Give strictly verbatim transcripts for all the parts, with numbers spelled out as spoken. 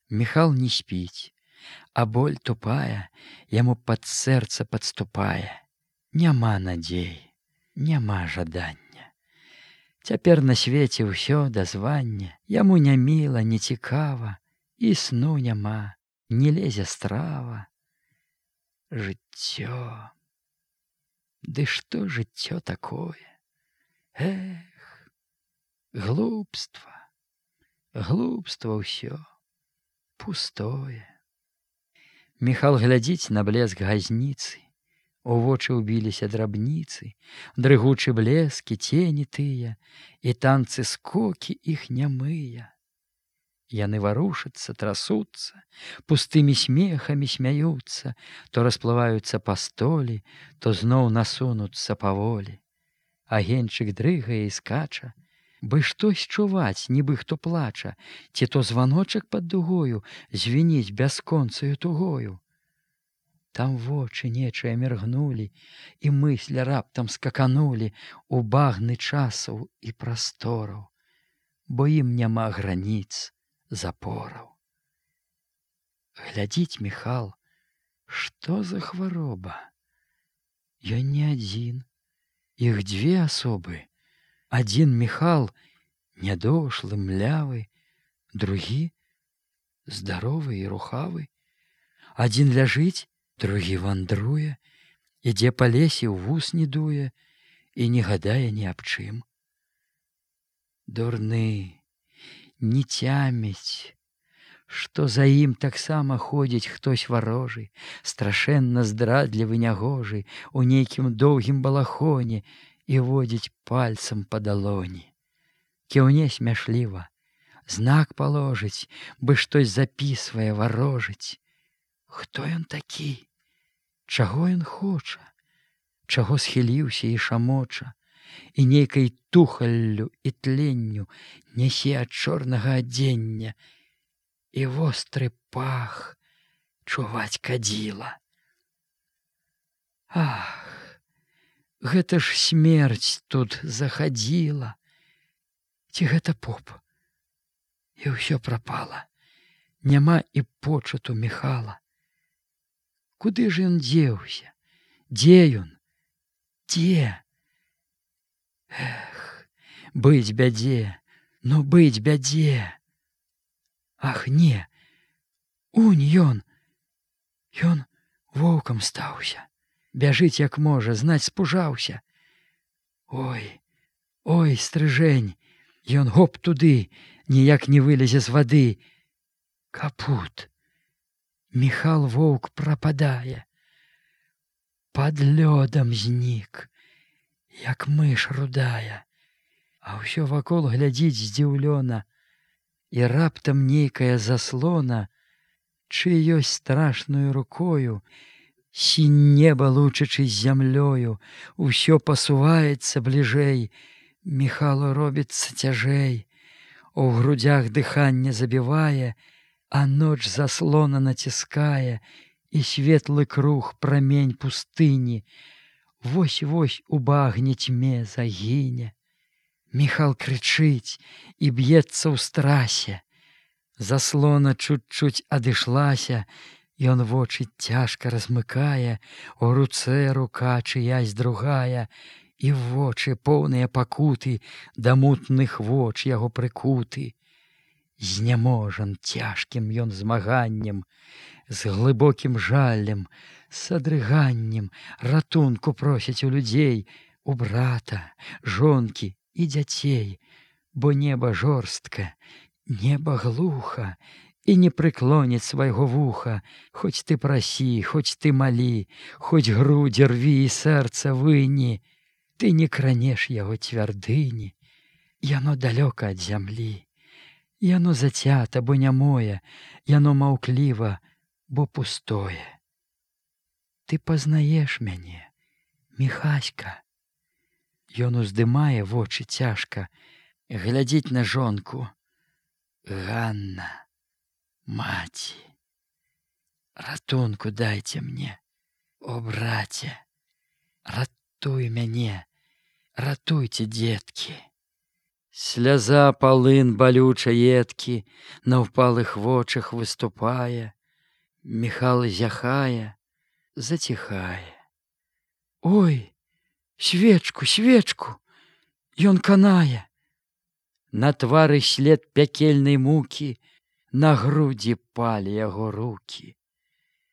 Міхал не спіць, а боль тупая яму пад сэрца падступае. Няма надзеі, няма жадання. Цяпер на свеце ўсё дазвання, яму не міла, не цікава, і сну няма, не лезе страва. Жыццё. Ды што жыццё такое? Эх, глупства, глупства ўсё, пустое. Міхал глядзіць на блеск газніцы, у вочы ўбіліся драбніцы, дрыгучы блескі, цені тыя, і танцы скокі іх нямыя. Яны варушацца, трасуцца, пустымі смехамі смяюцца, то расплываюцца па столі, то зноў насунуцца паволі. Агеньчык дрыгае і скача, бы штось чуваць, нібы хто плача, ці то званочак пад дугою звініць бясконцаю тугою. Там вочы нечыя міргнулі, і мыслі раптам скаканулі у багны часаў і прастораў, бо ім няма граніц, запораў. Глядзіць Міхал, што за хвароба? Ён не адзін, іх дзве асобы. Адзін Міхал нядошлы, млявы, другі здаровы і рухавы. Адзін ляжыць, другі вандруе, ідзе па лесе, ў вус не дуе і не гадае ні аб чым. Дурны, не цяміць, што за ім таксама ходзіць хтось варожы, страшэнна здрадлівы нягожы, у нейкім доўгім балахоне і водзіць пальцам па далоні. Кіўне смяшліва, знак паложыць, бы штось запісвае, варожыць. Хто ён такі? Чаго ён хоча? Чаго схіліўся і шамоча? І нейкай тухаллю і тленню нясе ад чорнага адзення, і востры пах чуваць кадзіла. Ах, гэта ж смерць тут захадзіла. Ці гэта поп? І ўсё прапала. Няма і почуту Міхала. Куды ж ён дзеўся? Дзе ён? Дзе? Эх, быць бядзе, ну быць бядзе. Ах, не, унь ён, ён воўкам стаўся, бяжыць як можа, знаць спужаўся. Ой, ой, стрыжэнь, ён гоп туды, ніяк не вылезе з вады. Капут, Міхал воўк прападае, пад лёдам знік, як мыш рудая, а ўсё вакол глядзіць здзіўлёна, і раптам нейкая заслона, чыёсь страшнаю рукою, сінь неба лучачы з зямлёю, усё пасуваецца бліжэй, Міхалу робіцца цяжэй, у грудзях дыханне забівае, а ноч заслона націскае, і светлы круг прамень пустыні вось-вось у багне цьме загіне. Міхал крычыць і б'ецца ў страсе. Заслона чуць-чуць адышлася, ён вочы цяжка размыкае, у руцэ рука чыясь другая, і вочы поўныя пакуты, да мутных воч яго прыкуты. Зняможан цяжкім ён змаганнем, з глыбокім жалем, с адрыганнем ратунку просіць у людзей, у брата, жонкі і дзяцей, бо неба жорстка, неба глуха, і не прыклоніць свайго вуха, хоць ты прасі, хоць ты малі, хоць грудзі рві і сэрца выні, ты не кранеш яго цвярдыні, яно далёка ад зямлі. Яно зацята, бо нямое, яно маўкліва, бо пустое. Ты пазнаеш мяне, Міхаська. Ён уздымае вочы цяжка, глядзіць на жонку. Ганна, маці, ратунку дайце мне, о, браце, ратуй мяне, ратуйце, дзеткі. Сляза палын балюча едкі на ўпалых вочах выступае. Міхал зяхае, заціхае. Ой, свечку, свечку, ён канае. На твары след пякельнай мукі, на грудзі палі яго рукі.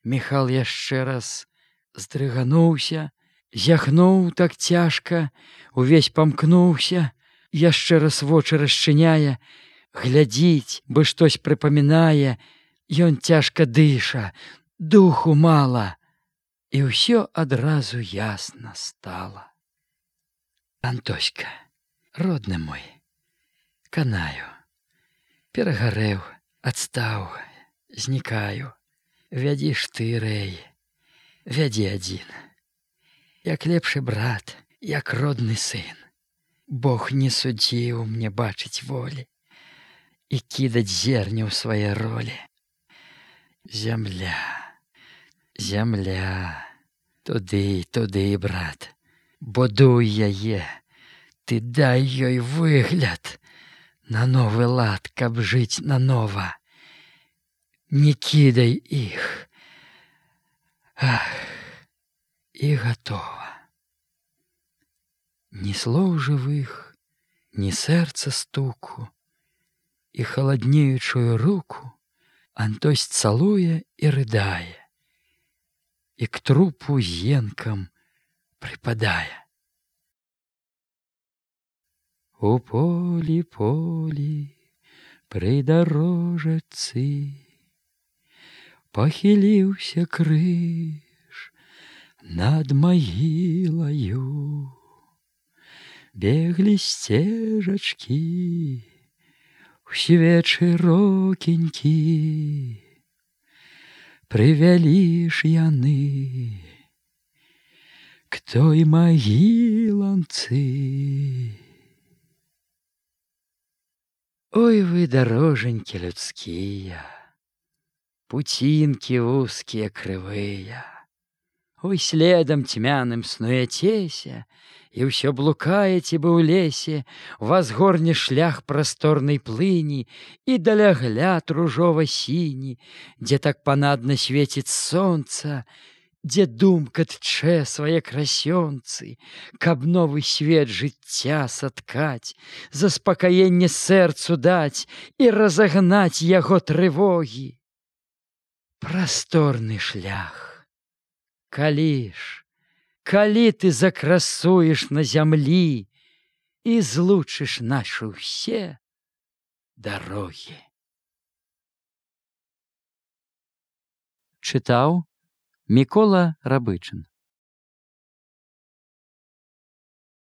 Міхал яшчэ раз здрыгануўся, зяхнуў так цяжка, увесь памкнуўся, яшчэ раз вочы расчыняе, глядзіць, бы штось прыпамінае, ён цяжка дыша, духу мала, і ўсё адразу ясна стала. Антоська, родны мой, канаю, перагарэў, адстаў, знікаю. Вядзі ж ты, рэй, вядзі адзін. Як лепшы брат, як родны сын. Бог не судзіў мне бачыць волі і кідаць зерня ў свае ролі. Зямля, зямля, туды, туды, брат, будуй яе, ты дай ёй выгляд, на новы лад, каб жыць нанова. Не кідай іх. Ах, і гатова. Ні слоў жывых, ні сэрца стуку, і халаднеючую руку Антось цалуе і рыдае, і к трупу енкам прыпадае. У полі, полі, пры дарожачцы пахіліўся крыж над магілаю. Беглі сцежачкі, у свечы рокенькі, прывялі ж яны к той магіланцы. Ой вы, дарожанькі людскія, пуцінкі вузкія крывыя, ой, следам цьмяным снуяцеся, і ўсё блукаеце бы ў лесе, вас горне шлях прасторнай плыні і далягляд ружова-сіні, дзе так панадна свеціць сонца, дзе думка тчэ свае красёнцы, каб новы свет жыцця саткаць, заспакаенне сэрцу даць і разагнаць яго трывогі. Прасторны шлях, калі ж, калі ты закрасуеш на зямлі і злучыш нашы ўсе дарогі. Чытаў Мікола Рабычын.